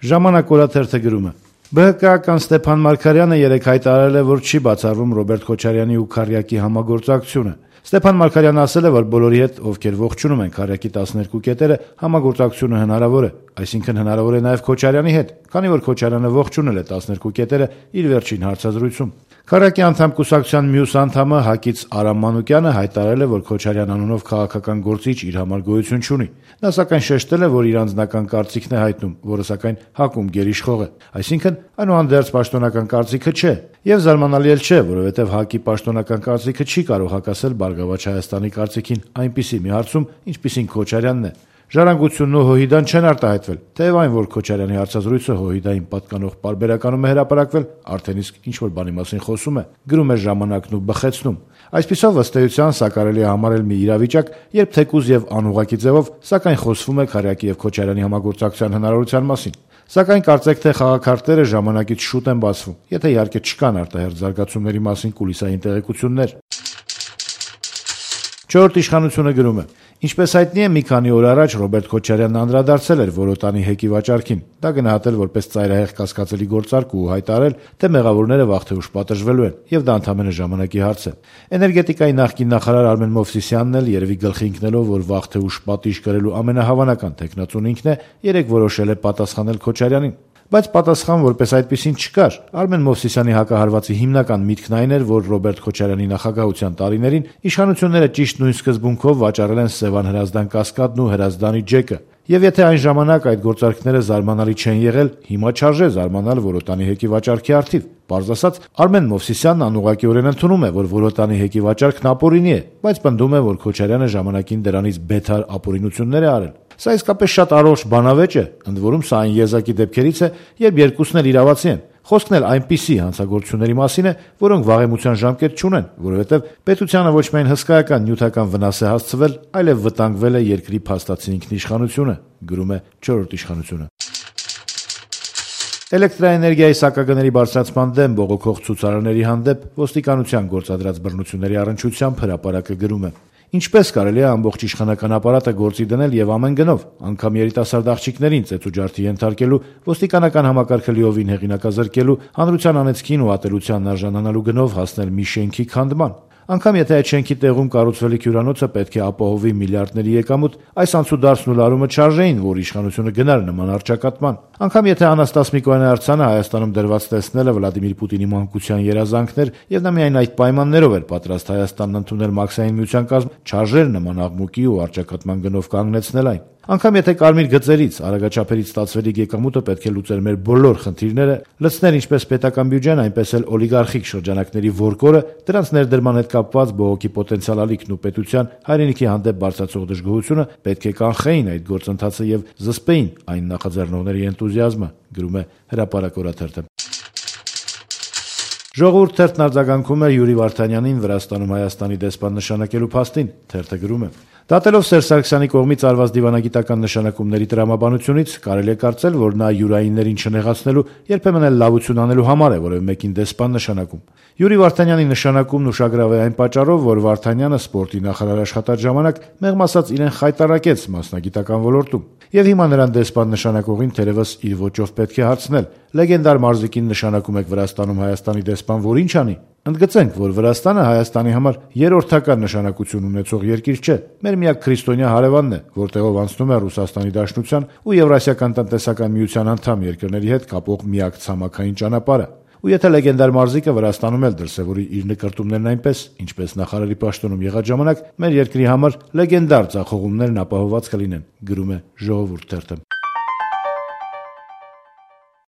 Ժամանակ օրաթերթը գրում է. ԲՀԿ-ական Ստեփան Մարգարյանը երեկ հայտարարել է, որ չի բացառում Ռոբերտ Քոչարյանի ու Քարյակի համագործակցությունը։ Ստեփան Մարգարյանը ասել է, որ բոլորի հետ, ովքեր ողջունում են Քարյակի 12 կետերը, համագործակցությունը հնարավոր է, այսինքն հնարավոր է նաև Քոչարյանի հետ, քանի որ Քոչարյանը ողջունել է 12 կետերը իր վերջին հարցազրույցում։ Քարյակի անդամ կուսակցության մյուս անդամը Հակից Արամ Մանուկյանը հայտարարել է, որ Քոչարյան անունով քաղաքական գործիչ իր համար գոյություն չունի։ Նա սակայն շեշտել է, որ իր անձնական կարծիքն է հայտնում, որը սակայն հակում գերիշխող է, այսինքն այնուհանդերձ պաշտոնական կարծիքը չէ, եւ զարմանալի էլ չէ, որովհետեւ ՀԱԿ-ի պաշտոնական կարծիքը չի կարող հակասել Բարգավաճ Հայաստանի կարծիքին այնպիսի մի հարցում, ինչպիսին Քոչարյանն է։ Ժառանգությունն ու ՀՅԴ-ն չեն արտահայտվել, թեև այն, որ Քոչարյանի հարցազրույցը ՀՅԴ-ին պատկանող պարբերականում է հրապարակվել, արդեն իսկ ինչ-որ բանի մասին խոսում է, գրում է «Ժամանակն» ու բխեցնում։ Այսպիսով, ըստ էության, սա կարելի է համարել մի իրավիճակ, երբ թեկուզ եւ անուղղակի ձևով, սակայն խոսվում է Քարյակի եւ Քոչարյանի համագործակցության հնարավորության մասին։ Սակայն կարծեք թե խաղաքարտերը ժամանակից շուտ են բացվում, եթե իհարկե չկան արտահերթ զարգացումների մասին կուլիսային տեղեկություններ։ Չորրորդ իշխանությունը գրում է. Ինչպես հայտնի է, մի քանի օր առաջ Ռոբերտ Քոչարյանն անդրադարձել էր Որոտանի հեկի վաճառքին, դա գնահատել որպես ծայրահեղ կասկածելի գործարք ու հայտարարել, թե մեղավորները վաղ թե ուշ պատժվելու են, եւ դա ընդամենը ժամանակի հարց է։ Էներգետիկայի նախկին նախարար Արմեն Մովսիսյանն էլ երևի գլխի ընկնելով, որ վաղ թե ուշ պատիժ կրելու ամենահավանական տեխնացուն ինքն է, երեք որոշել է պատասխանել Քոչարյանին։ Բայց պատասխան որպես այդպեսին չկար։ Արմեն Մովսիսյանի հակահարվածի հիմնական միտքն այն էր, որ Ռոբերտ Քոչարյանի նախագահության տարիներին իշխանությունները ճիշտ նույն սկզբունքով վաճառել են Սևան Հրազդան կասկադն ու Հրազդանի ջեկը։ Եվ եթե այն ժամանակ այդ գործարքները զարմանալի չեն եղել, հիմա չարժե զարմանալ Որոտանի հեկի վաճառքի առթիվ։ Պարզ ասած, Արմեն Մովսիսյանն անուղղակիորեն ընդունում է, որ Որոտանի հեկի վաճառքն ապօրինի է, բայց պնդում է, որ Քոչարյանը ժամանակին դրանից բեթար ապօրինություններ է արել։ Սա իսկապես շատ առողջ բանավեճ է, ընդ որում սա այն եզակի դեպքերից է, երբ երկուսն էլ իրավացի են։ Խոսքն էլ այնպիսի հանցագործությունների մասին է, որոնք վաղեմության ժամկետ չունեն, որովհետև պետությանը ոչ միայն հսկայական նյութական վնաս է հասցվել, այլև վտանգվել է երկրի փաստացի ինքնիշխանությունը, գրում է Չորրորդ իշխանությունը։ Էլեկտրաէներգիայի սակագների բարձրացման դեմ բողոքող ցուցարարների հանդեպ ոստիկանության գործադրած բռնությունների առնչությամբ հրապարակը գրում է. Ինչպես կարելի է ամբողջ իշխանական ապարատը գործի դնել եւ ամեն գնով, անգամ երիտասարդ աղջիկներին ծեծուջարդի ենթարկելու, ոստիկանական համակարգը լիովին հեղինակազրկելու, հանրության անեծքին ու ատելությանն արժանանալու գնով հասնել մի շենքի քանդման։ Անգամ եթե այդ շենքի տեղում կառուցվելիք հյուրանոցը պետք է ապահովի միլիարդների եկամուտ, այս անցուդարձն ու լարումը չարժեին, որ իշխանությունը գնար նման առճակատման։ Անգամ եթե Անաստաս Միկոյանի արձանը Հայաստանում դրված տեսնելը Վլադիմիր Պուտինի մանկության երազանքներ եւ նա միայն այդ պայմաններով էր պատրաստ Հայաստանն ընդունել Մաքսային միության կազմ, չարժեր նման աղմուկի ու առճակատման գնով կանգնեցնել այն։ Անգամ եթե կարմիր գծերից, արագաչափերից ստացվելիք եկամուտը պետք է լուծեր մեր բոլոր խնդիրները, լցներ ինչպես պետական բյուջեն, այնպես էլ օլիգարխիկ շրջանակների որկորը, դրանց ներդրման հետ կապված բողոքի պոտենցիալ ալիքն ու պետության հայրենիքի հանդեպ բարձրացող դժգոհությունը պետք է կանխեին այդ գործընթացը եւ զսպեին այն նախաձեռնողների էնտուզիազմը, գրում է Հրապարակ օրաթերթը։ Ժողովուրդ թերթն արձագանքում է Յուրի Վարդանյանին Վրաստանում Հայաստանի դեսպան նշանակելու փաստին, թերթը գրում է. Դատելով Սերժ Սարգսյանի կողմից արված դիվանագիտական նշանակումների տրամաբանությունից կարելի է կարծել, որ նա յուրայիններին չնեղացնելու, երբեմն էլ լավություն անելու համար է որևէ մեկին դեսպան նշանակում։ Յուրի Վարդանյանի նշանակումն ուշագրավ է այն պատճառով, որ Վարդանյանը սպորտի նախարար աշխատած ժամանակ մեղմ ասած իրեն խայտարակեց մասնագիտական ոլորտում։ Եվ հիմա նրան դեսպան նշանակողին թերևս իր ոճով պետք է հարցնել. լեգենդար մարզիկին նշանակում եք Վրաստանում Հայաստանի դեսպան, որ ինչ անի։ Ընդգծենք, որ Վրաստանը Հայաստանի համար երրորդական նշանակություն ունեցող երկիր չէ։ Մեր միակ քրիստոնյա հարևանն է, որտեղով անցնում է Ռուսաստանի Դաշնության ու Եվրասիական տնտեսական միության անդամ երկրների հետ կապող միակ ցամաքային ճանապարհը։ Ու եթե լեգենդար մարզիկը Վրաստանում էլ դրսևորի իր նկրտումներն այնպես, ինչպես նախարարի պաշտոնում եղած ժամանակ, մեր երկրի համար լեգենդար ձախողումներն ապահովված կլինեն, գրում է Ժողովուրդ թերթը։